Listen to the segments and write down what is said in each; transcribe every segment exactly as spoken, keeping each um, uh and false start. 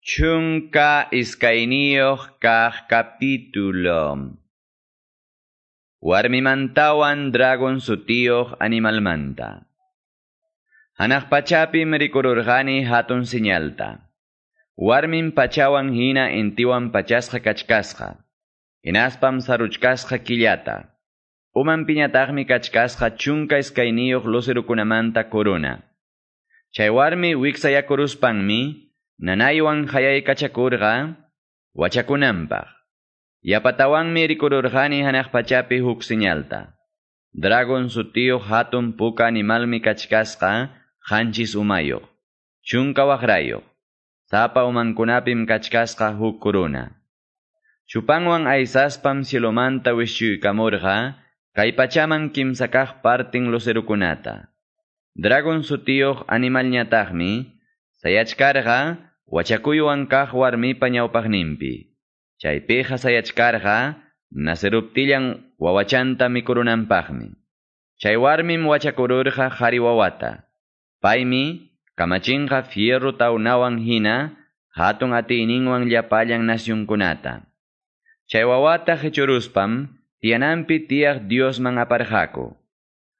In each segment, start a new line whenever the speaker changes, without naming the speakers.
Chunka iskayniyuq kaq capítulo. Warmimantawan dragon sutiyuq animalmanta. Hanaq pachapim rikururqani hatun señalta. Warmin pachawan hina intiwan pachasqa kachkasqa. Hinaspam saruchkasqa killata. Uman piñataqmi kachkasqa chunka iskayniyuq lucerukunamanta corona. Chay warmi wiksayakuruspanmi nanaywan hayaykachakurqa wachakunanpaq. Yapatawanmi rikururqani hanaq pachapi huk señalta. Dragon sutiyuq hatun puka animalmi kachkasqa qanchis umayuq, chunka waqrayuq. Sapa umankunapim kachkasqa huk corona. Chupanwan aysaspam cielomanta wischuykamurqa kay pachaman kimsa kaq partin lucerukunata. Dragon sutiyuq animalñataqmi sayachkarqa wachakuywan kaq warmipa ñawpaqninpi. Chaypiqa sayachkarqa naceruptillan wawachanta mikurunanpaqmi. Chay warmim wachakururqa qhari wawata. Paymi kamachinqa fierro tawnawan hina hatun atiyninwan llapallan nasyunkunata. Chay wawata qichuruspam tiyananpi tiyaq Diosman aparqaku.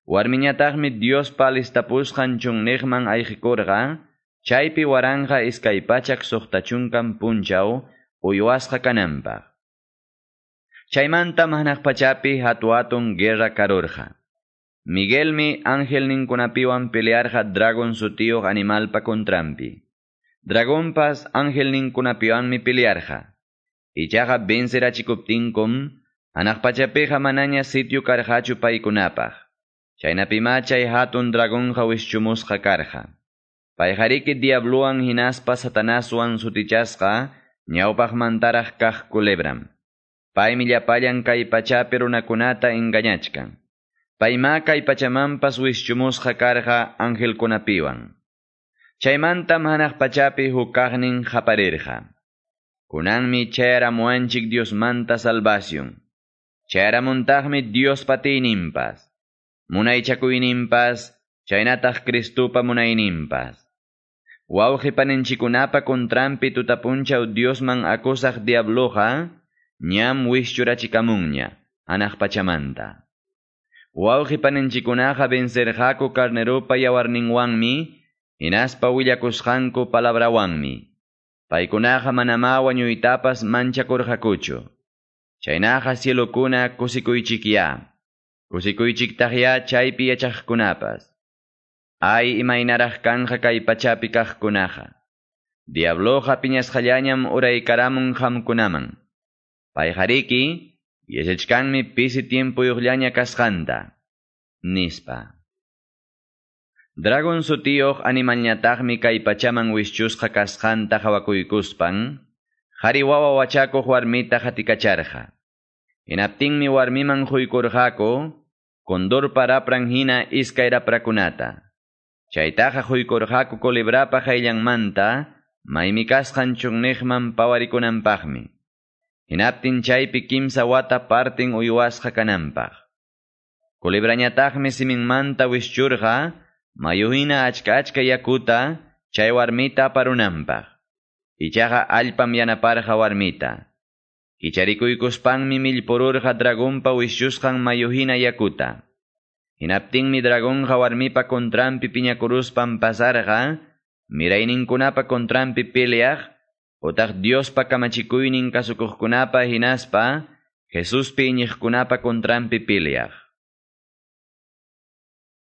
Warmiñataqmi Diospa alistapusqan chunniqman ayqikurqa, chaypi waranqa iskay pachak suqta chunkan punchaw uywasqa kananpaq. Chaymantam hanaq pachapi hatu-hatun guerra karurqa. Miguelmi angelninkunapiwan pelearqa dragon sutiyuq animalpa contranpi. Dragonpas angelninkunapiwanmi pelearqa. Ichaqa vencerachikuptinkum, hanaq pachapiqa manaña sitio karqachu paykunapaq. Chaynapima chay hatun dragonqa wischumusqa karqa. Payqariki diabluwan hinaspa Satanaswan sutichasqa ñawpaqmantaraq kaq culebram. Paymi llapallan kay pachapi runakunata engañachkan. Payma kay pachamanpas wischumusqa karqa angelkunapiwan. Chaymantam hanaq pachapi huk kaqnin qaparirqa. Kunanmi chayaramuwanchik Diosmanta salvación. Chayaramuntaqmi Diospa atiyninpas, munaychakuyninpas, chaynataq Cristupa munayninpas. Wawqi paninchikunapa contranpi tutapunchaw Diosman acusaq diabloqa ñam wischurachikamunña hanaq pachamanta. Wawqi paninchikunaqa vencerqaku carneropa yawarninwanmi, hinaspa willakusqanku palabrawanmi. Paykunaqa manamá wañuytapas manchakurqakuchu. Chaynaqa cielokuna kusikuychikyá. Kusikuychiktaqyá chaypi yachaqkunapas. Ay imaynaraq kanqa kay pachapi kaqkunaqa. Diabloqa piñasqallañam uraykaramun qamkunaman. Payqariki yachachkanmi pisi tiempuyuqllaña kasqanta, nispa. Dragon sutiyuq animalñataqmi kay pachaman wischusqa kasqanta qhawakuykuspan, qhari wawa wachakuq warmita qatikacharqa. Hinaptinmi warmiman quykurqaku condorpa rapran hina iskay raprakunata. Chaytaqa quykurqaku culebrapa qayllanmanta maymi kasqan chunniqman pawarikunanpaqmi. Hinaptin chaypi kimsa wata partin uywasqa kananpaq. Culebrañataqmi siminmanta wischurqa mayu hina achka achka yakuta chay warmita aparunanpaq. Ichaqa allpam yanaparqa warmita. Kicharikuykuspanmi millpururqa dragonpa wischusqan mayu hina yakuta. Hinaptinmi dragonqa warmipa contranpi piñakuruspan pasarqa, mirayninkunapa contranpi peleaq, utaq Diospa kamachikuynin kasukuqkunapa hinaspa, Jesuspi iñiqkunapa contranpi peleaq.